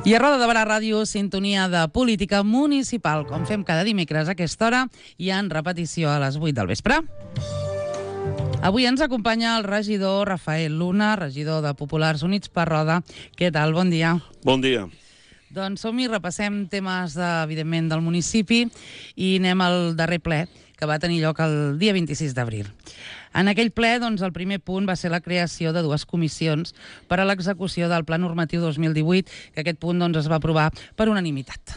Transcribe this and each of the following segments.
I a Roda de Barà Ràdio, sintonia de política municipal, com fem cada dimecres a aquesta hora i en repetició a les 8 del vespre. Avui ens acompanya el regidor Rafael Luna, regidor de Populars Units per Roda. Què tal? Bon dia. Bon dia. Doncs som-hi, repassem temes, evidentment, del municipi i anem al darrer ple, que va tenir lloc el dia 26 d'abril. En aquell ple, doncs, el primer punt va ser la creació de dues comissions per a l'execució del Pla Normatiu 2018, que aquest punt doncs, es va aprovar per unanimitat.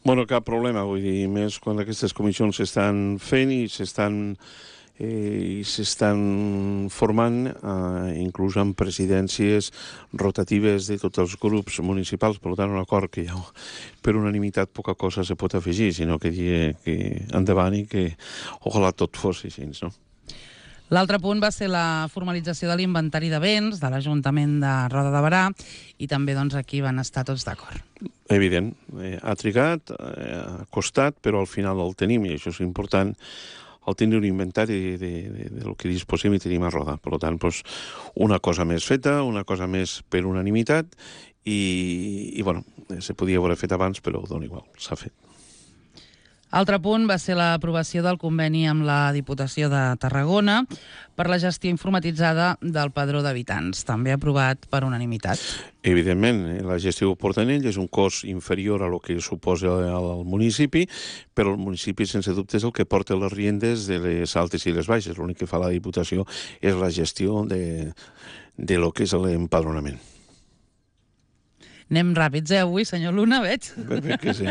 Bueno, cap problema, vull dir, més quan aquestes comissions s'estan fent i s'estan formant, inclús amb presidències rotatives de tots els grups municipals. Per tant, un acord que ja per unanimitat poca cosa se pot afegir, sinó que dir que endavant i que ojalà tot fos així, no? L'altre punt va ser la formalització de l'inventari de béns de l'Ajuntament de Roda de Barà i també doncs, aquí van estar tots d'acord. Evident, ha trigat, ha costat, però al final el tenim i això és important, el tenir un inventari del que disposem i tenim a Roda. Per tant, doncs, una cosa més feta, una cosa més per unanimitat i bueno, se podia haver fet abans, però dona igual, s'ha fet. Altre punt va ser l'aprovació del conveni amb la Diputació de Tarragona per la gestió informatitzada del padró d'habitants, també aprovat per unanimitat. Evidentment, la gestió ho porten ells, és un cost inferior a lo que suposa al municipi, però el municipi, sense dubte, és el que porta les riendes de les altes i les baixes. L'únic que fa la Diputació és la gestió de lo que és l'empadronament. Anem ràpids, avui, senyor Luna, veig? Ben que sí.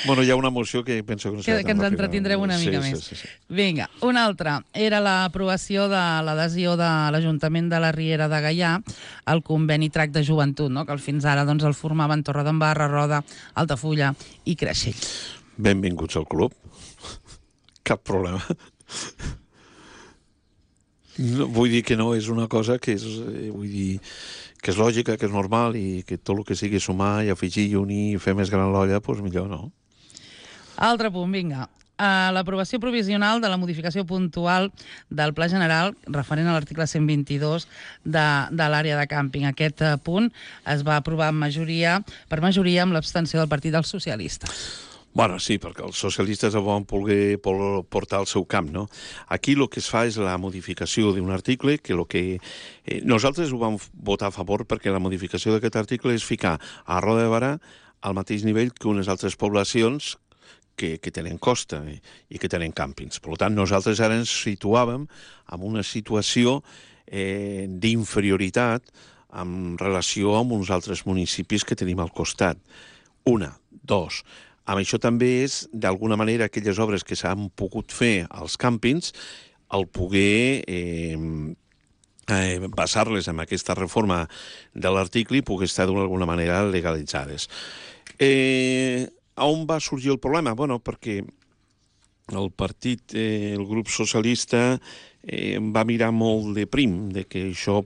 Bueno, hi ha una moció que penso que no serà que ens entretindrem una mica més. Sí. Vinga, una altra. Era l'aprovació de l'adhesió de l'Ajuntament de la Riera de Gaià al conveni TRAC de joventut, no? Que fins ara doncs, el formaven Torredembarra, Roda, Altafulla i Creixell. Benvinguts al club. Cap problema. No, vull dir que no és una cosa que és... Vull dir que és lògica, que és normal i que tot el que sigui sumar i afegir i unir i fer més gran l'olla, doncs millor, no? Altre punt, vinga. L'aprovació provisional de la modificació puntual del Pla General referent a l'article 122 de l'àrea de càmping. Aquest punt es va aprovar per majoria amb l'abstenció del Partit dels Socialistes. Bueno, sí, perquè els socialistes el van voler portar al seu camp, no? Aquí el que es fa és la modificació d'un article que nosaltres ho vam votar a favor perquè la modificació d'aquest article és ficar a Roda de Barà al mateix nivell que unes altres poblacions que tenen costa i que tenen càmpings. Per tant, nosaltres ara ens situàvem en una situació d'inferioritat en relació amb uns altres municipis que tenim al costat. Una, dos... Amb això també és, d'alguna manera, aquelles obres que s'han pogut fer als càmpings, el poder basar-les en aquesta reforma de l'article i poder estar d'alguna manera legalitzades. On va sorgir el problema? Bueno, perquè el partit, el grup socialista, va mirar molt de prim, de que això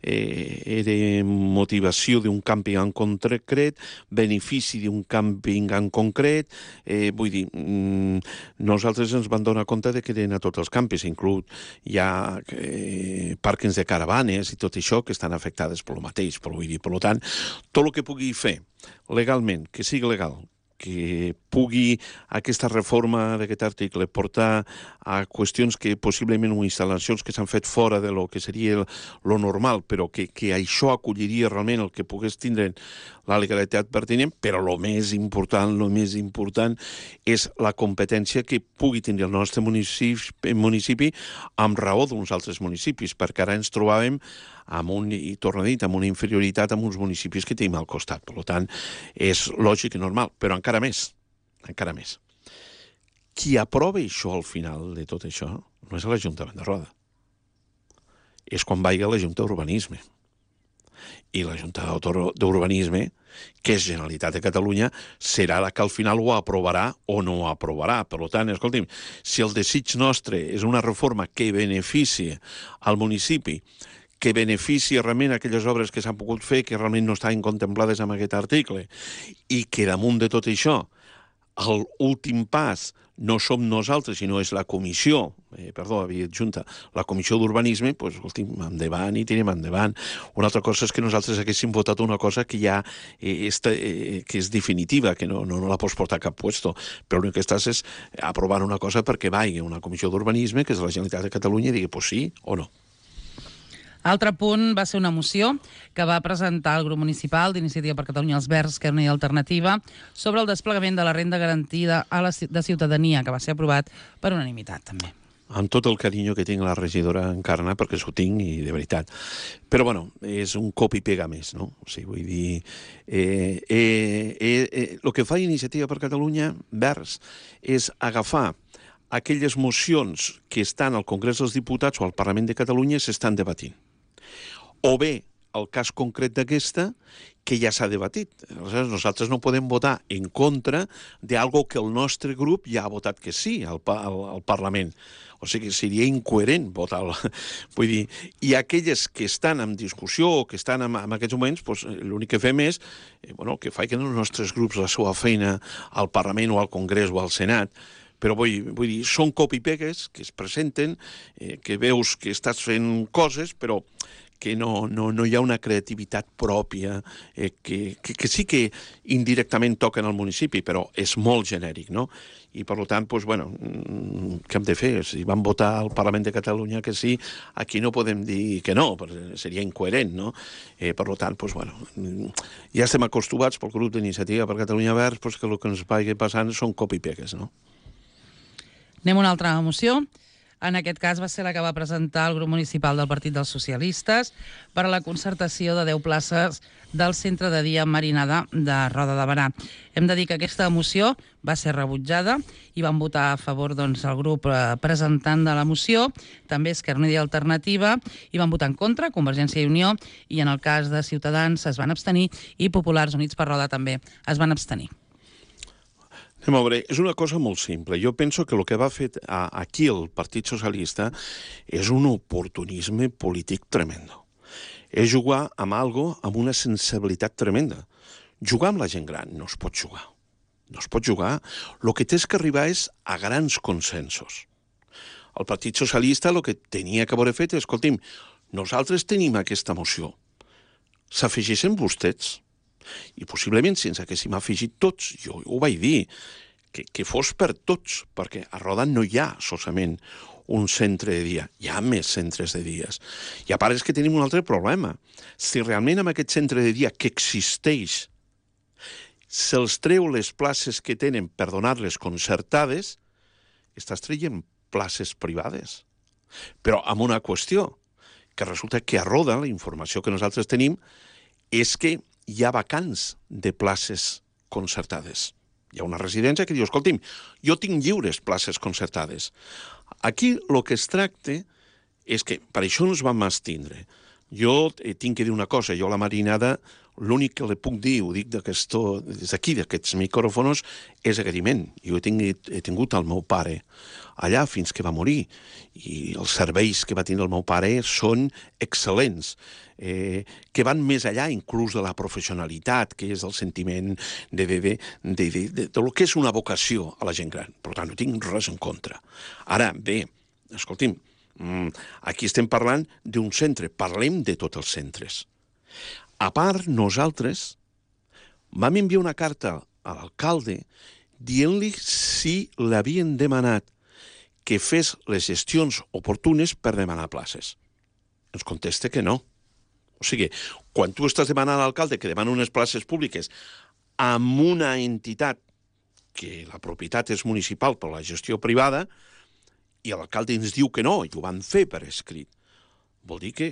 era motivació d'un càmping en concret, benefici d'un càmping en concret. Vull dir, nosaltres ens vam donar compte de que eren a tots els càmpings, inclús hi ha pàrquings de caravanes i tot això que estan afectades per lo mateix. Però vull dir, per tant, tot el que pugui fer legalment, que sigui legal, que pugui aquesta reforma d'aquest article portar a qüestions que possiblement o instal·lacions que s'han fet fora de lo que seria lo normal, però que això acolliria realment el que pogués tindre la legalitat pertinent, però el més important és la competència que pugui tenir el nostre municipi amb raó d'uns altres municipis, perquè ara ens trobàvem amb una inferioritat amb uns municipis que tenim al costat. Per tant, és lògic i normal, però encara més. Qui aprova això al final de tot això no és l'Ajuntament de Roda. És quan vagi a la Junta d'Urbanisme. I la Junta d'Urbanisme, que és Generalitat de Catalunya, serà la que al final ho aprovarà o no ho aprovarà. Per tant, escolti'm, si el desig nostre és una reforma que benefici al municipi, que beneficia realment aquelles obres que s'han pogut fer, que realment no estaven contemplades en aquest article, i que damunt de tot això l'últim pas no som nosaltres, sinó és la comissió, havia dit junta, la comissió d'urbanisme, doncs, escolti'm, endavant i tirem endavant. Una altra cosa és que nosaltres haguéssim votat una cosa que ja que és definitiva, que no la pots portar a cap puesto, però l'únic que estàs és aprovant una cosa perquè vagi una comissió d'urbanisme, que és la Generalitat de Catalunya, i digui, pues sí o no. Altre punt va ser una moció que va presentar el grup municipal d'Iniciativa per Catalunya els Verds, Esquerra Unida i Alternativa, sobre el desplegament de la renda garantida de ciutadania, que va ser aprovat per unanimitat, també. Amb tot el carinyo que tinc a la regidora Encarna, perquè s'ho tinc, i de veritat. Però, bueno, és un cop i pega més, no? O sigui, vull dir... El que fa Iniciativa per Catalunya Verds és agafar aquelles mocions que estan al Congrés dels Diputats o al Parlament de Catalunya i s'estan debatint. O bé, el cas concret d'aquesta, que ja s'ha debatit. Aleshores, nosaltres no podem votar en contra d'algo que el nostre grup ja ha votat que sí al Parlament. O sigui, seria incoherent votar. Vull dir, i aquelles que estan en discussió o que estan en aquests moments, doncs, l'únic que fem és que facin els nostres grups la seva feina al Parlament o al Congrés o al Senat. Però vull dir, són copy-pegues que es presenten, que veus que estàs fent coses, però que no hi ha una creativitat pròpia, que sí que indirectament toquen al municipi, però és molt genèric, no? I, per tant, doncs, què hem de fer? Si van votar al Parlament de Catalunya que sí, aquí no podem dir que no, perquè seria incoherent, no? Per tant, doncs, ja estem acostumats pel grup d'Iniciativa per Catalunya Verds que el que ens vagi passant són copy-pegues, no? Anem a una altra moció. En aquest cas va ser la que va presentar el grup municipal del Partit dels Socialistes per a la concertació de 10 places del centre de dia Marinada de Roda de Berà. Hem de dir que aquesta moció va ser rebutjada i van votar a favor el grup presentant de la moció, també Esquerra Unida i Alternativa, i van votar en contra Convergència i Unió, i en el cas de Ciutadans es van abstenir i Populars Units per Roda també es van abstenir. Anem a veure, és una cosa molt simple. Jo penso que el que va fer aquí el Partit Socialista és un oportunisme polític tremendo. És jugar amb algo amb una sensibilitat tremenda. Jugar amb la gent gran no es pot jugar. No es pot jugar. El que tens que arribar és a grans consensos. El Partit Socialista el que tenia que haver fet és, escolti'm, nosaltres tenim aquesta moció. S'afegeixen vostès? I possiblement si ens haguéssim afegit tots, jo ho vaig dir, que fos per tots, perquè a Roda no hi ha solament un centre de dia, hi ha més centres de dies. I a part és que tenim un altre problema. Si realment amb aquest centre de dia que existeix se'ls treu les places que tenen per donar-les concertades, estàs traient places privades. Però amb una qüestió, que resulta que a Roda, la informació que nosaltres tenim, és que hi ha vacants de places concertades. Hi ha una residència que diu, escolti'm, jo tinc lliures places concertades. Aquí el que es tracta és que per això ens vam abstindre. Jo tinc que dir una cosa, jo a la Marinada l'únic que li puc dir, ho dic des d'aquí, d'aquests micròfons, és agraïment. Jo he tingut el meu pare allà fins que va morir, i els serveis que va tenir el meu pare són excel·lents, que van més allà inclús de la professionalitat, que és el sentiment de lo que és una vocació a la gent gran. Per tant, no tinc res en contra. Ara, bé, escolti'm, aquí estem parlant d'un centre, parlem de tots els centres. A part, nosaltres vam enviar una carta a l'alcalde dient-li si l'havien demanat que fes les gestions oportunes per demanar places. Ens contesta que no. O sigui, quan tu estàs demanant a l'alcalde que demana unes places públiques amb una entitat que la propietat és municipal per la gestió privada, i l'alcalde ens diu que no, i ho van fer per escrit, vol dir que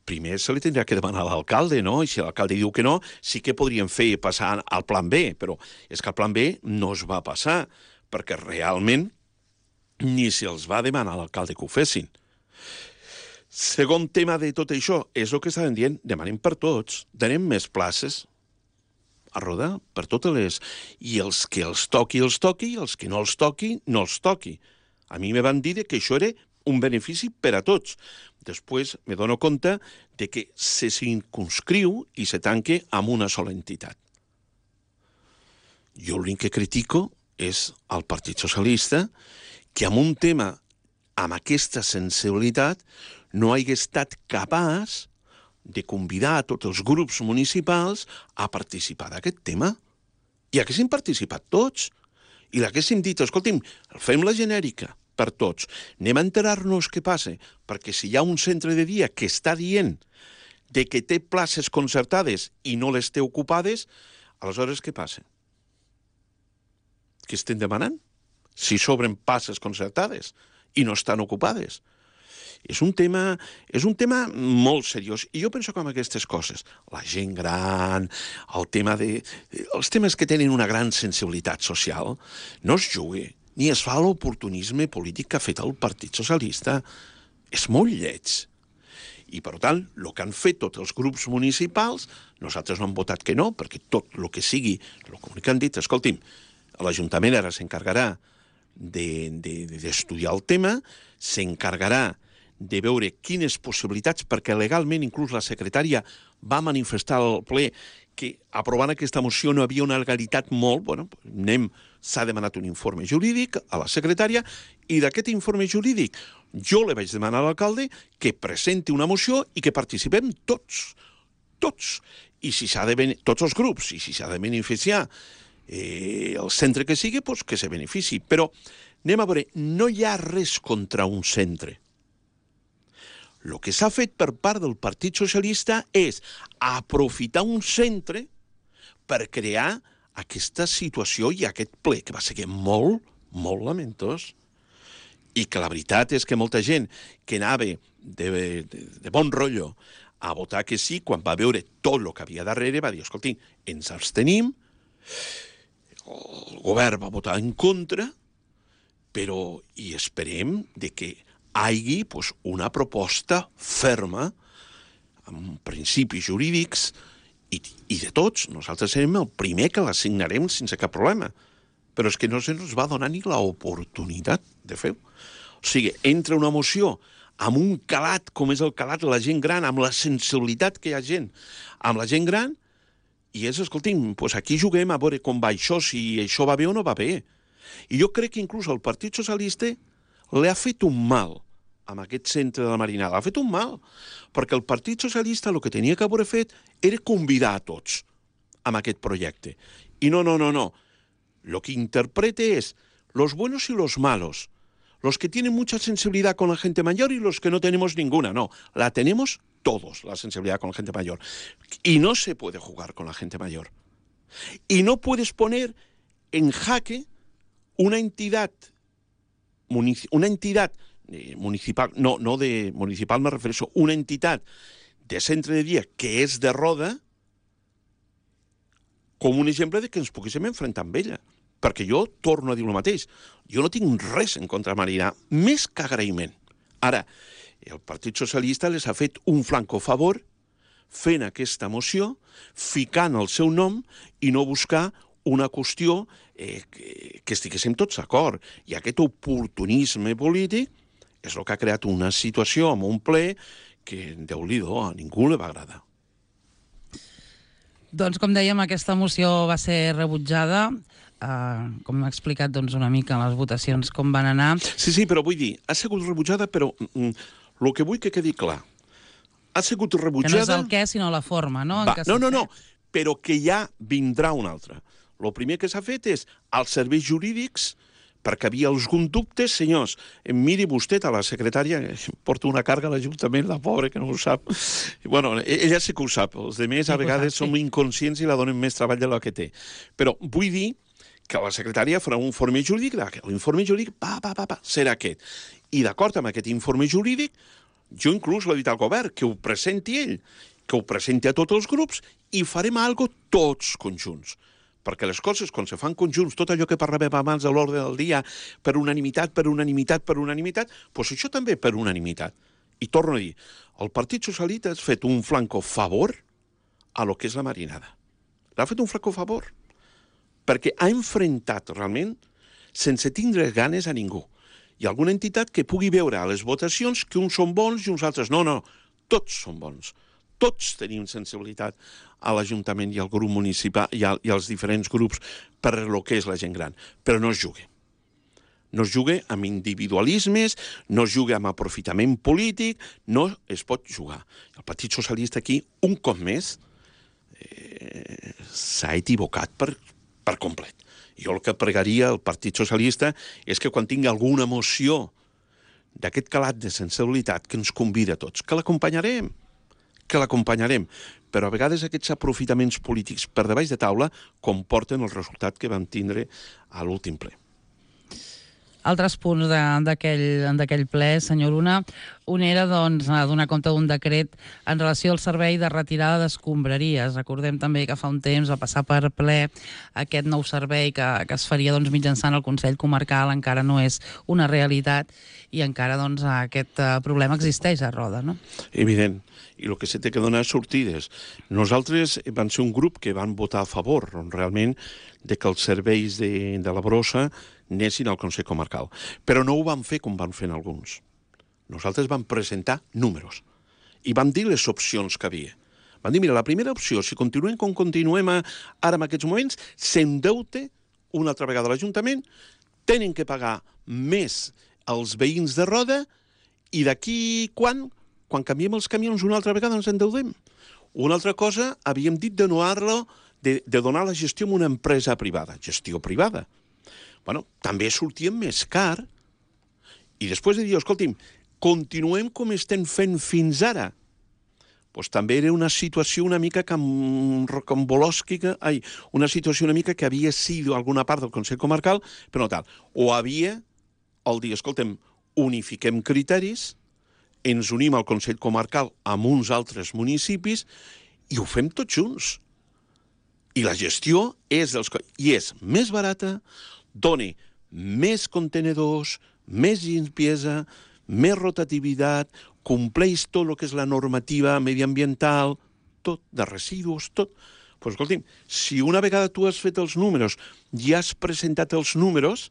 primer se li tindrà que demanar a l'alcalde, no? I si l'alcalde diu que no, sí que podríem fer passar al plan B, però és que el plan B no es va passar, perquè realment ni se'ls va demanar a l'alcalde que ho fessin. Segon tema de tot això, és el que estaven dient, demanem per tots, donem més places a Roda, per totes les... I els que els toqui, i els que no els toqui, no els toqui. A mi me van dir que això era un benefici per a tots. Després me dono compte de que se circunscriu i se tanque amb una sola entitat. Jo l'únic que critico és el Partit Socialista, que en un tema amb aquesta sensibilitat no hagi estat capaç de convidar a tots els grups municipals a participar d'aquest tema. I haguéssim participat tots. I l'haguéssim dit, escolti'm, fem la genèrica per tots. Anem a enterar-nos què passa, perquè si hi ha un centre de dia que està dient de que té places concertades i no les té ocupades, aleshores què passa? Què estem demanant? Si s'obren places concertades i no estan ocupades. És un tema molt seriós. I jo penso que amb aquestes coses, la gent gran, els temes que tenen una gran sensibilitat social, no es juga, ni es fa l'oportunisme polític que ha fet el Partit Socialista. És molt lleig. I, per tant, el que han fet tots els grups municipals, nosaltres no hem votat que no, perquè tot el que sigui, el que han dit, escolti'm, l'Ajuntament ara s'encarregarà d'estudiar el tema, s'encarregarà de veure quines possibilitats, perquè legalment inclús la secretària va manifestar al ple que aprovant aquesta moció no havia una legalitat molt, s'ha demanat un informe jurídic a la secretària i d'aquest informe jurídic jo li vaig demanar a l'alcalde que presenti una moció i que participem tots, i si s'ha de tots els grups, i si s'ha de beneficiar el centre que sigui, doncs que se benefici. Però anem a veure, no hi ha res contra un centre. El que s'ha fet per part del Partit Socialista és aprofitar un centre per crear aquesta situació i aquest ple, que va ser molt, molt lamentós. I que la veritat és que molta gent que anava de bon rotllo a votar que sí, quan va veure tot el que havia darrere, va dir, escolti, ens abstenim, el govern va votar en contra, però hi esperem que hi hagi una proposta ferma, amb principis jurídics, i de tots. Nosaltres serem el primer que la signarem sense cap problema. Però és que no se'ns va donar ni l'oportunitat de fer-ho. O sigui, entra una moció amb un calat, com és el calat de la gent gran, amb la sensibilitat que hi ha gent, amb la gent gran, i és, escolti'm, aquí juguem a veure com va això, si això va bé o no va bé. I jo crec que inclús el Partit Socialista li ha fet un mal amb aquest centre de la Marinada. Ha fet un mal, perquè el Partit Socialista el que tenia que haver fet era convidar a tots amb aquest projecte. I no. Lo que interprete es los buenos y los malos, los que tienen mucha sensibilidad con la gente mayor y los que no tenemos ninguna. No, la tenemos todos, la sensibilidad con la gente mayor. Y no se puede jugar con la gente mayor. Y no puedes poner en jaque una entidad municipal, no de municipal me refereixo, una entitat de centre de dia que és de Roda com un exemple de que ens poguéssim enfrontar amb ella. Perquè jo torno a dir el mateix. Jo no tinc res en contra de Marina, més que agraïment. Ara, el Partit Socialista les ha fet un flanco favor fent aquesta moció, ficant el seu nom i no buscar una qüestió que estiguéssim tots d'acord. I aquest oportunisme polític és el que ha creat una situació amb un ple que, Déu-n'hi-do, a ningú li va agradar. Doncs, com dèiem, aquesta moció va ser rebutjada. Com m'ha explicat una mica les votacions com van anar. Sí, però vull dir, ha sigut rebutjada, però el que vull que quedi clar, ha sigut rebutjada... Que no és el què, sinó la forma, no? No, però que ja vindrà una altra. El primer que s'ha fet és als serveis jurídics, perquè havia alguns dubtes, senyors, miri vostè a la secretària, porta una càrrega a l'Ajuntament, la pobra, que no ho sap. Bueno, ella sí que ho sap, els altres a vegades som inconscients i la donen més treball de la que té. Però vull dir que la secretària farà un informe jurídic, l'informe jurídic serà aquest. I d'acord amb aquest informe jurídic, jo inclús l'he dit al govern, que ho presenti ell, que ho presenti a tots els grups i farem alguna cosa tots conjunts. Perquè les coses, quan se fan conjunts, tot allò que parlàvem abans de l'ordre del dia, per unanimitat, doncs això també per unanimitat. I torno a dir, el Partit Socialista ha fet un flanco favor a lo que és la Marinada. L'ha fet un flanco favor. Perquè ha enfrontat realment, sense tindre ganes a ningú. Hi ha alguna entitat que pugui veure a les votacions que uns són bons i uns altres no. Tots són bons. tots tenim sensibilitat a l'Ajuntament i al grup municipal i als diferents grups per el que és la gent gran, però no es jugui. No es jugui amb individualismes, no es jugui amb aprofitament polític, no es pot jugar. El Partit Socialista aquí, un cop més, s'ha equivocat per complet. Jo el que pregaria al Partit Socialista és que quan tingui alguna moció d'aquest calat de sensibilitat que ens convida a tots, que l'acompanyarem, però a vegades aquests aprofitaments polítics per debaix de taula comporten el resultat que vam tindre a l'últim ple. Altres punts d'aquell ple, senyor Luna, un era donar compte d'un decret en relació al servei de retirada d'escombraries. Recordem també que fa un temps va passar per ple aquest nou servei que es faria mitjançant el Consell Comarcal, encara no és una realitat i encara aquest problema existeix a Roda, no? Evident. I el que s'ha de donar sortides. Nosaltres vam ser un grup que van votar a favor, realment, de que els serveis de la brossa anessin al Consell Comarcal. Però no ho vam fer com van fer alguns. Nosaltres vam presentar números i vam dir les opcions que havia. Vam dir, mira, la primera opció, si continuem com continuem ara en aquests moments, s'endeute una altra vegada l'Ajuntament, tenen que pagar més als veïns de Roda i d'aquí quan canviem els camions una altra vegada ens endeudem. Una altra cosa, havíem dit de donar la gestió a una empresa privada. Gestió privada. Bueno, també sortíem més car i després de dir, escolti'm, continuem com estem fent fins ara. Doncs també era una situació una mica rocambolòsquica, una situació una mica que havia sido alguna part del Consell Comarcal, però no tal. O havia el dir, escolta'm, unifiquem criteris, ens unim al Consell Comarcal amb uns altres municipis i ho fem tots junts. I la gestió és més barata, dona més contenedors, més limpiesa, més rotativitat, compleix tot el que és la normativa mediambiental, tot, de residus, tot. Doncs escolti'm, si una vegada tu has fet els números i has presentat els números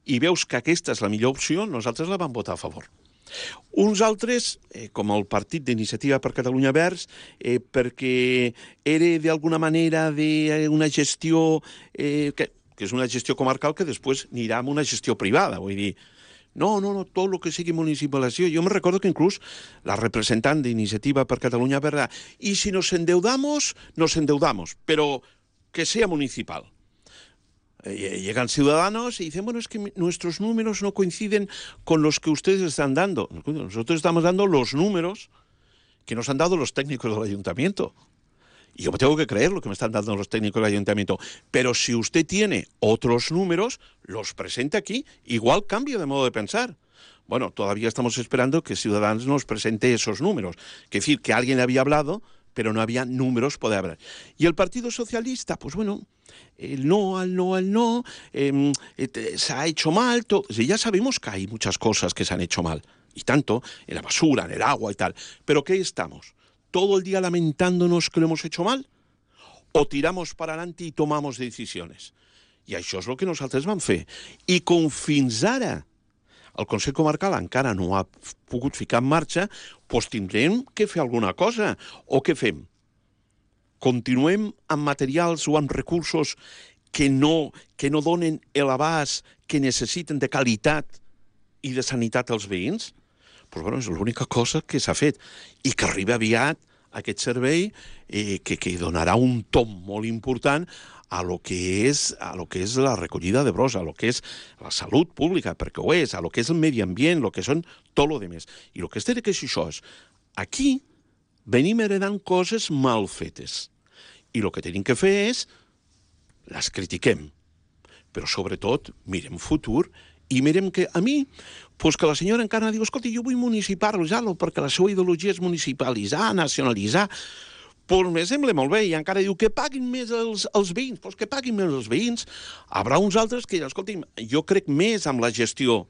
i veus que aquesta és la millor opció, nosaltres la vam votar a favor. Uns altres, com el Partit d'Iniciativa per Catalunya Verds, perquè era d'alguna manera una gestió que és una gestió comarcal que després anirà amb una gestió privada. Vull dir, no, tot el que sigui municipalització. Jo me recordo que inclús la representant d'Iniciativa per Catalunya Verds, i si nos endeudamos, pero que sea municipal. Llegan ciudadanos y dicen, bueno, es que nuestros números no coinciden con los que ustedes están dando. Nosotros estamos dando los números que nos han dado los técnicos del ayuntamiento. Y yo me tengo que creer lo que me están dando los técnicos del ayuntamiento. Pero si usted tiene otros números, los presente aquí, igual cambia de modo de pensar. Bueno, todavía estamos esperando que Ciudadanos nos presente esos números. Es decir, que alguien le había hablado, pero no había números para hablar. Y el Partido Socialista, pues bueno, el no, se ha hecho mal. Ya sabemos que hay muchas cosas que se han hecho mal, y tanto, en la basura, en el agua y tal. ¿Pero qué estamos? ¿Todo el día lamentándonos que lo hemos hecho mal? ¿O tiramos para adelante y tomamos decisiones? I això és el que nosaltres vam fer. I com fins ara el Consell Comarcal encara no ha pogut ficar en marxa, doncs tindrem que fer alguna cosa. O què fem? Continuem amb materials o amb recursos que no donen l'abast que necessiten de qualitat i de sanitat als veïns? Doncs bueno, és l'única cosa que s'ha fet. I que arriba aviat aquest servei que donarà un tom molt important a lo que és la recollida de brossa, a lo que és la salut pública, perquè ho és, a lo que és el medi ambient, lo que són tot lo demés. I el que es té que és això és, aquí venim heredant coses mal fetes. I el que tenim que fer és, les critiquem, però sobretot mirem futur i mirem que a mi, doncs que la senyora encara diu, escolta, jo vull municipalitzar-lo perquè la seva ideologia és municipalitzar, nacionalitzar. Doncs me sembla molt bé, i encara diu que paguin més els veïns. Doncs que paguin més els veïns. Haurà uns altres que, escolti'm, jo crec més amb la gestió,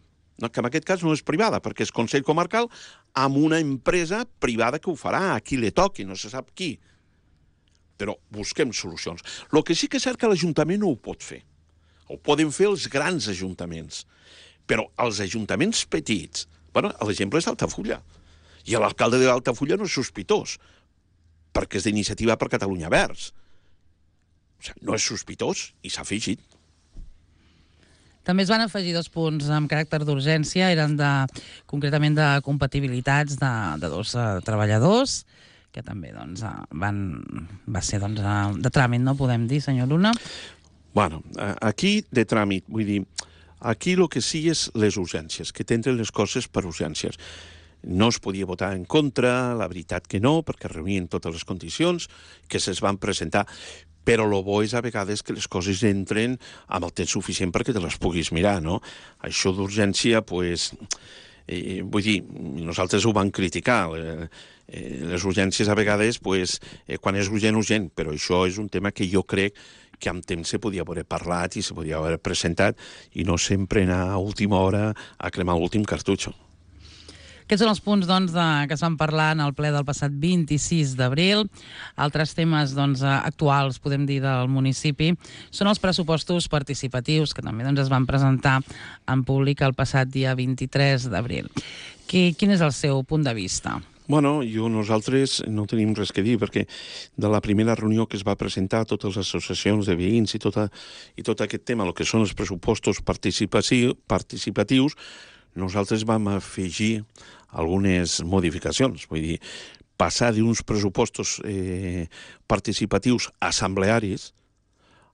que en aquest cas no és privada, perquè és Consell Comarcal, amb una empresa privada que ho farà, a qui li toqui, no se sap qui. Però busquem solucions. El que sí que és cert que l'Ajuntament no ho pot fer. Ho poden fer els grans ajuntaments. Però els ajuntaments petits, bueno, l'exemple és Altafulla. I l'alcalde d'Altafulla no és sospitós. perquè és d'Iniciativa per Catalunya Verds. O sigui, no és sospitós i s'ha afegit. També es van afegir 2 punts amb caràcter d'urgència, eren concretament de compatibilitats de 2 treballadors, que també va ser de tràmit, no podem dir, senyor Luna? Bueno, aquí de tràmit, vull dir, aquí el que sí és les urgències, que tenen les coses per urgències. No es podia votar en contra, la veritat que no, perquè reunien totes les condicions que se'ls van presentar. Però el bo és a vegades que les coses entren amb el temps suficient perquè te les puguis mirar, no? Això d'urgència, doncs, vull dir, nosaltres ho vam criticar. Les urgències a vegades, doncs, quan és urgent, urgent, però això és un tema que jo crec que amb temps se podia haver parlat i se podia haver presentat i no sempre anar a última hora a cremar l'últim cartutxo. Aquests són els punts que es van parlar en el ple del passat 26 d'abril. Altres temes actuals, podem dir, del municipi, són els pressupostos participatius, que també es van presentar en públic el passat dia 23 d'abril. Quin és el seu punt de vista? Bueno, nosaltres no tenim res que dir, perquè de la primera reunió que es va presentar totes les associacions de veïns i tot aquest tema, el que són els pressupostos participatius, nosaltres vam afegir algunes modificacions. Vull dir, passar d'uns pressupostos participatius assemblearis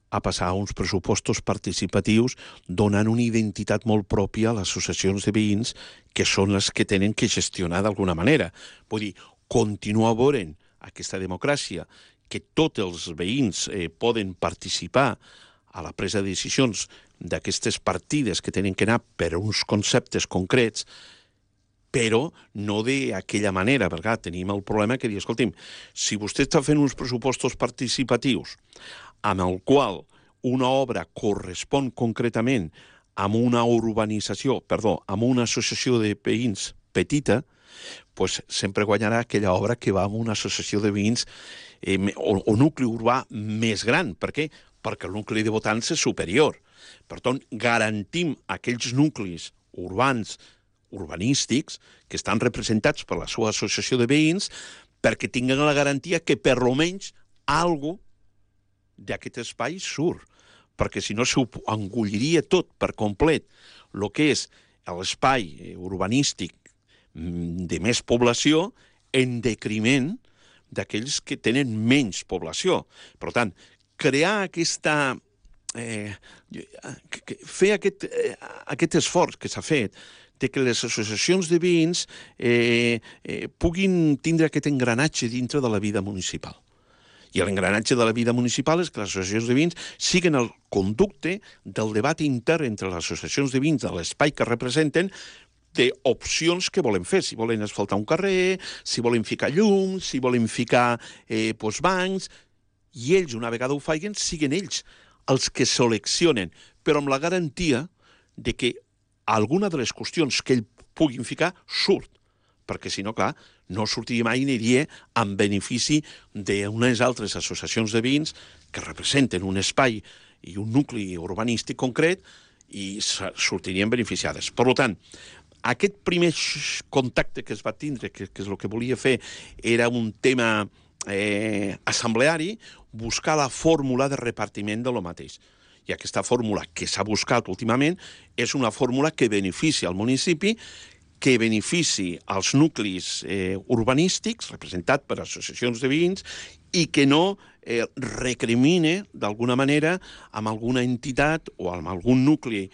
a passar a uns pressupostos participatius donant una identitat molt pròpia a les associacions de veïns que són les que tenen que gestionar d'alguna manera. Vull dir, continuar veient aquesta democràcia, que tots els veïns poden participar a la presa de decisions d'aquestes partides que tenen que anar per uns conceptes concrets, però no d'aquella manera, perquè tenim el problema que dir, escolti'm, si vostè està fent uns pressupostos participatius amb el qual una obra correspon concretament amb una amb una associació de veïns petita, doncs sempre guanyarà aquella obra que va amb una associació de veïns o nucli urbà més gran. Per què? Perquè el nucli de votants és superior. Per tant, garantim aquells nuclis urbans, urbanístics, que estan representats per la seva associació de veïns, perquè tinguen la garantia que per almenys alguna cosa d'aquest espai surt. Perquè si no s'ho engolliria tot per complet el que és l'espai urbanístic de més població en detriment d'aquells que tenen menys població. Per tant, crear aquesta... fer aquest esforç que s'ha fet de que les associacions de veïns puguin tindre aquest engranatge dintre de la vida municipal. I l'engranatge de la vida municipal és que les associacions de veïns siguin el conducte del debat intern entre les associacions de veïns de l'espai que representen d'opcions que volen fer, si volen asfaltar un carrer, si volen ficar llums, si volen ficar bancs, i ells, una vegada ho facin, siguin ells els que seleccionen, però amb la garantia de que alguna de les qüestions que ells puguin ficar surt, perquè si no, clar, no sortiria mai i aniria en benefici d'unes altres associacions de veïns que representen un espai i un nucli urbanístic concret i sortirien beneficiades. Per tant, aquest primer contacte que es va tindre, que és el que volia fer, era un tema assembleari, buscar la fórmula de repartiment de lo mateix. I aquesta fórmula que s'ha buscat últimament és una fórmula que beneficia al municipi, que benefici als nuclis urbanístics, representat per associacions de veïns, i que no recrimine, d'alguna manera, amb alguna entitat o amb algun nucli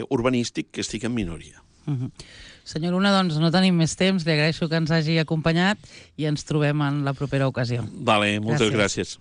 urbanístic que estigui en minoria. Senyor Luna, doncs no tenim més temps, li agraeixo que ens hagi acompanyat i ens trobem en la propera ocasió. Vale, moltes gràcies.